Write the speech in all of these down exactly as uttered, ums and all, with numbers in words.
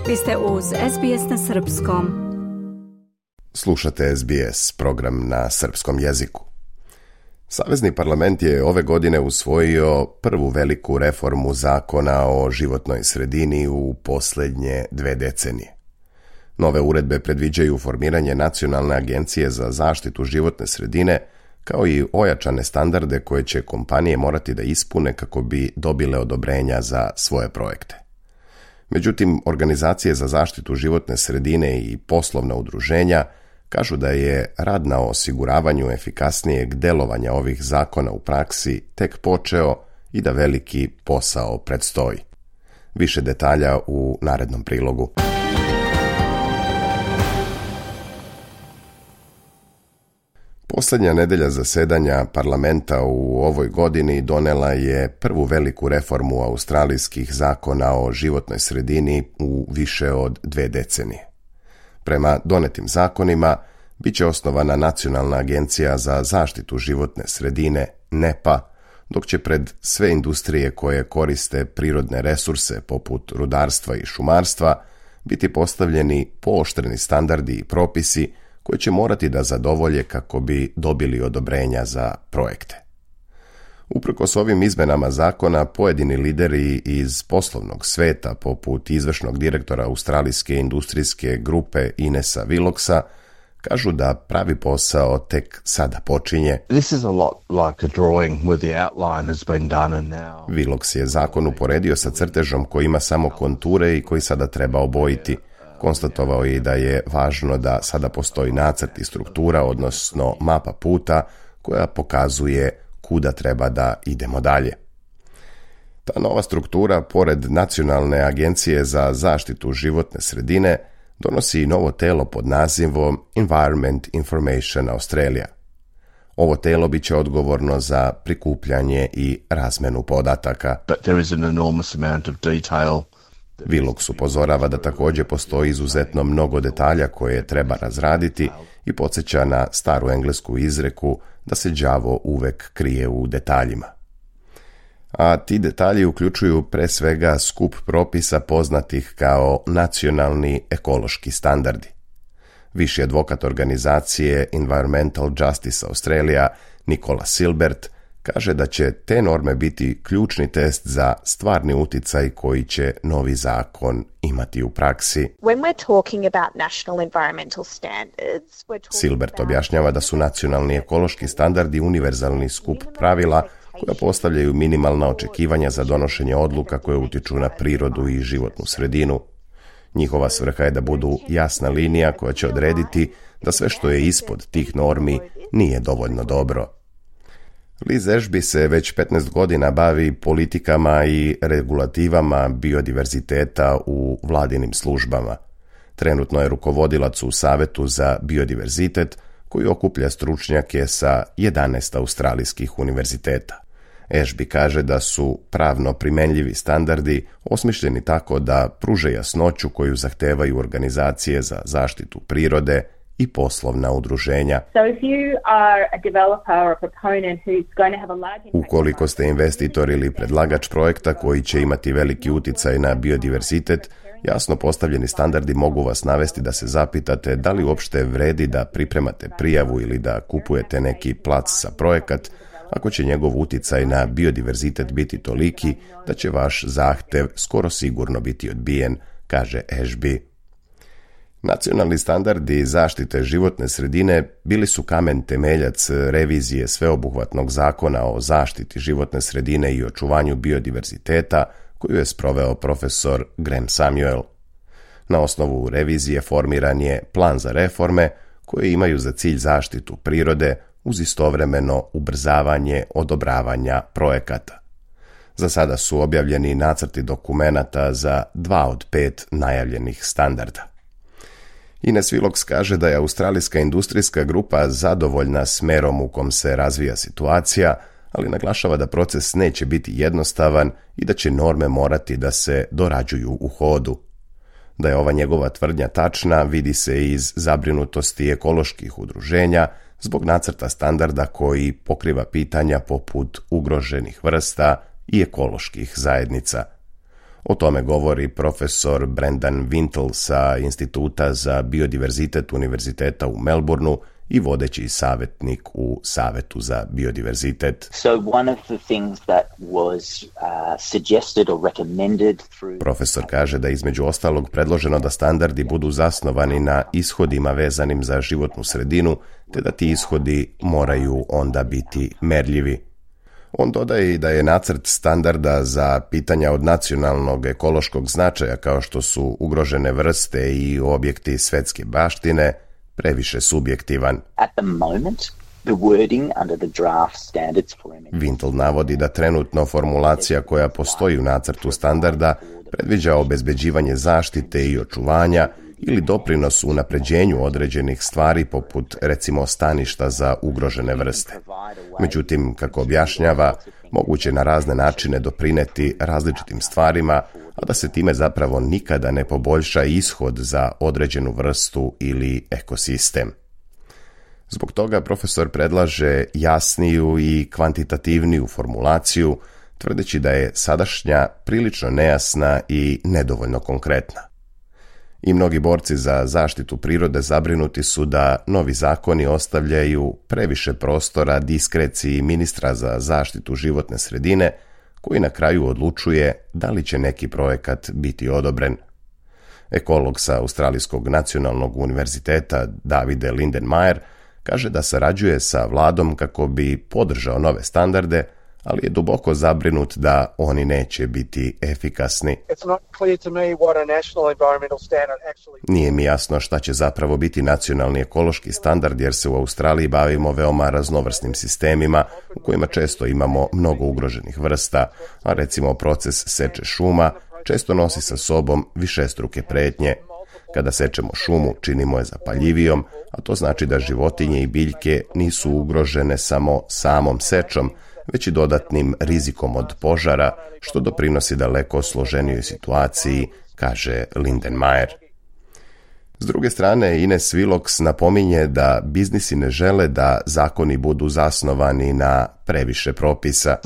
Vi ste uz S B S na srpskom. Slušate S B S, program na srpskom jeziku. Savezni parlament je ove godine usvojio prvu veliku reformu zakona o životnoj sredini u posljednje dve decenije. Nove uredbe predviđaju formiranje Nacionalne agencije za zaštitu životne sredine, kao i ojačane standarde koje će kompanije morati da ispune kako bi dobile odobrenja za svoje projekte. Međutim, organizacije za zaštitu životne sredine i poslovna udruženja kažu da je rad na osiguravanju efikasnijeg delovanja ovih zakona u praksi tek počeo i da veliki posao predstoji. Više detalja u narednom prilogu. Posljednja nedelja zasedanja parlamenta u ovoj godini donela je prvu veliku reformu australijskih zakona o životnoj sredini u više od dve decenije. Prema donetim zakonima bit će osnovana Nacionalna agencija za zaštitu životne sredine, N E P A, dok će pred sve industrije koje koriste prirodne resurse poput rudarstva i šumarstva biti postavljeni pooštreni standardi i propisi koji će morati da zadovolje kako bi dobili odobrenja za projekte. Uprkos ovim izmenama zakona, pojedini lideri iz poslovnog sveta, poput izvršnog direktora australijske industrijske grupe Inesa Willocksa, kažu da pravi posao tek sada počinje. This is a lot like a drawing where the outline has been done and now. Willocks je zakon uporedio sa crtežom koji ima samo konture i koji sada treba obojiti. Konstatovao je da je važno da sada postoji nacrt i struktura, odnosno mapa puta koja pokazuje kuda treba da idemo dalje. Ta nova struktura, pored Nacionalne agencije za zaštitu životne sredine, donosi i novo telo pod nazivom Environment Information Australia. Ovo telo bit će odgovorno za prikupljanje i razmenu podataka. But there is an enormous amount of detail. Willocks upozorava da također postoji izuzetno mnogo detalja koje treba razraditi i podsjeća na staru englesku izreku da se đavo uvek krije u detaljima. A ti detalji uključuju pre svega skup propisa poznatih kao nacionalni ekološki standardi. Viši advokat organizacije Environmental Justice Australia, Nicola Silbert, kaže da će te norme biti ključni test za stvarni uticaj koji će novi zakon imati u praksi. When we're talking about national environmental standards, we're talking Silbert objašnjava da su nacionalni ekološki standardi univerzalni skup pravila koja postavljaju minimalna očekivanja za donošenje odluka koje utiču na prirodu i životnu sredinu. Njihova svrha je da budu jasna linija koja će odrediti da sve što je ispod tih normi nije dovoljno dobro. Liz Ashby se već petnaest godina bavi politikama i regulativama biodiverziteta u vladinim službama. Trenutno je rukovodilac u Savetu za biodiverzitet koji okuplja stručnjake sa jedanaest australijskih univerziteta. Ashby kaže da su pravno primenljivi standardi osmišljeni tako da pruže jasnoću koju zahtevaju organizacije za zaštitu prirode i poslovna udruženja. So if you are a developer or a proponent who's going to have a large impact. Ukoliko ste investitor ili predlagač projekta koji će imati veliki uticaj na biodiverzitet, jasno postavljeni standardi mogu vas navesti da se zapitate da li uopšte vredi da pripremate prijavu ili da kupujete neki plac za projekat, ako će njegov uticaj na biodiverzitet biti toliki da će vaš zahtev skoro sigurno biti odbijen, kaže Ashby. Nacionalni standardi zaštite životne sredine bili su kamen temeljac revizije sveobuhvatnog zakona o zaštiti životne sredine i očuvanju biodiverziteta koju je sproveo profesor Graham Samuel. Na osnovu revizije formiran je plan za reforme koje imaju za cilj zaštitu prirode uz istovremeno ubrzavanje odobravanja projekata. Za sada su objavljeni nacrti dokumenata za dva od pet najavljenih standarda. Ines Willocksa kaže da je australijska industrijska grupa zadovoljna smerom u kom se razvija situacija, ali naglašava da proces neće biti jednostavan i da će norme morati da se dorađuju u hodu. Da je ova njegova tvrdnja tačna vidi se iz zabrinutosti ekoloških udruženja zbog nacrta standarda koji pokriva pitanja poput ugroženih vrsta i ekoloških zajednica. O tome govori profesor Brendan Wintle sa Instituta za biodiverzitet Univerziteta u Melbourneu i vodeći savjetnik u Savetu za biodiverzitet. So one of the things that was uh, suggested or recommended through... Profesor kaže da je između ostalog predloženo da standardi budu zasnovani na ishodima vezanim za životnu sredinu, te da ti ishodi moraju onda biti merljivi. On dodaje i da je nacrt standarda za pitanja od nacionalnog ekološkog značaja kao što su ugrožene vrste i objekti svetske baštine previše subjektivan. At the moment, the wording under the draft standards for... Wintle navodi da trenutno formulacija koja postoji u nacrtu standarda predviđa obezbeđivanje zaštite i očuvanja ili doprinos u unapređenju određenih stvari poput recimo staništa za ugrožene vrste. Međutim, kako objašnjava, moguće na razne načine doprineti različitim stvarima, a da se time zapravo nikada ne poboljša ishod za određenu vrstu ili ekosistem. Zbog toga profesor predlaže jasniju i kvantitativniju formulaciju, tvrdeći da je sadašnja prilično nejasna i nedovoljno konkretna. I mnogi borci za zaštitu prirode zabrinuti su da novi zakoni ostavljaju previše prostora diskreciji ministra za zaštitu životne sredine, koji na kraju odlučuje da li će neki projekat biti odobren. Ekolog sa Australijskog nacionalnog univerziteta Davide Lindenmayer kaže da sarađuje sa vladom kako bi podržao nove standarde, ali je duboko zabrinut da oni neće biti efikasni. Nije mi jasno šta će zapravo biti nacionalni ekološki standard, jer se u Australiji bavimo veoma raznovrsnim sistemima u kojima često imamo mnogo ugroženih vrsta, a recimo proces seče šuma često nosi sa sobom višestruke pretnje. Kada sečemo šumu, činimo je zapaljivijom, a to znači da životinje i biljke nisu ugrožene samo samom sečom, već i dodatnim rizikom od požara, što doprinosi daleko složenijoj situaciji, kaže Lindenmayer. S druge strane, Ines Willox napominje da biznisi ne žele da zakoni budu zasnovani na previše propisa.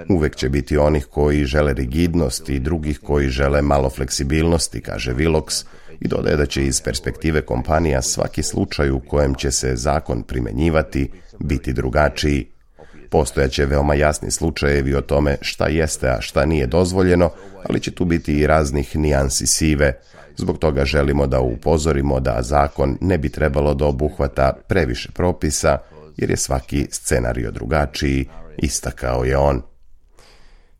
Uvek će biti onih koji žele rigidnost i drugih koji žele malo fleksibilnosti, kaže Willox, i dodaje da će iz perspektive kompanija svaki slučaj u kojem će se zakon primjenjivati biti drugačiji. Postojaće veoma jasni slučajevi o tome šta jeste, a šta nije dozvoljeno, ali će tu biti i raznih nijansi sive. Zbog toga želimo da upozorimo da zakon ne bi trebalo da obuhvata previše propisa, jer je svaki scenario drugačiji, istakao je on.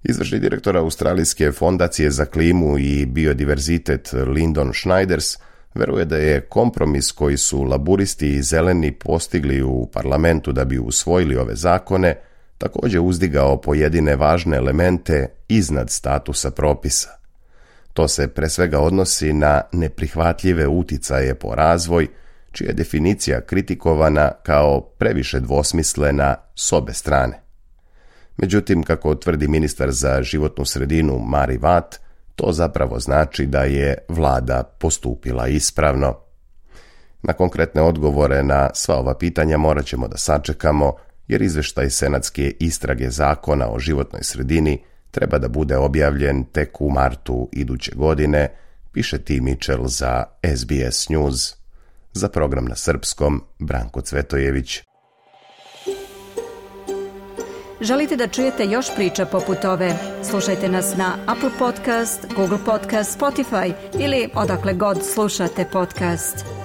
Izvršni direktor Australijske fondacije za klimu i biodiverzitet Lyndon Schneiders veruje da je kompromis koji su laburisti i zeleni postigli u parlamentu da bi usvojili ove zakone također uzdigao pojedine važne elemente iznad statusa propisa. To se pre svega odnosi na neprihvatljive uticaje po razvoj, čija je definicija kritikovana kao previše dvosmislena s obe strane. Međutim, kako tvrdi ministar za životnu sredinu Mari Watt, to zapravo znači da je vlada postupila ispravno. Na konkretne odgovore na sva ova pitanja morat ćemo da sačekamo, jer izveštaj senatske istrage zakona o životnoj sredini treba da bude objavljen tek u martu iduće godine, piše Tim Mitchell za S B S News. Za program na srpskom, Branko Cvetojević. Želite da čujete još priča poput ove? Slušajte nas na Apple Podcast, Google Podcast, Spotify ili odakle god slušate podcast.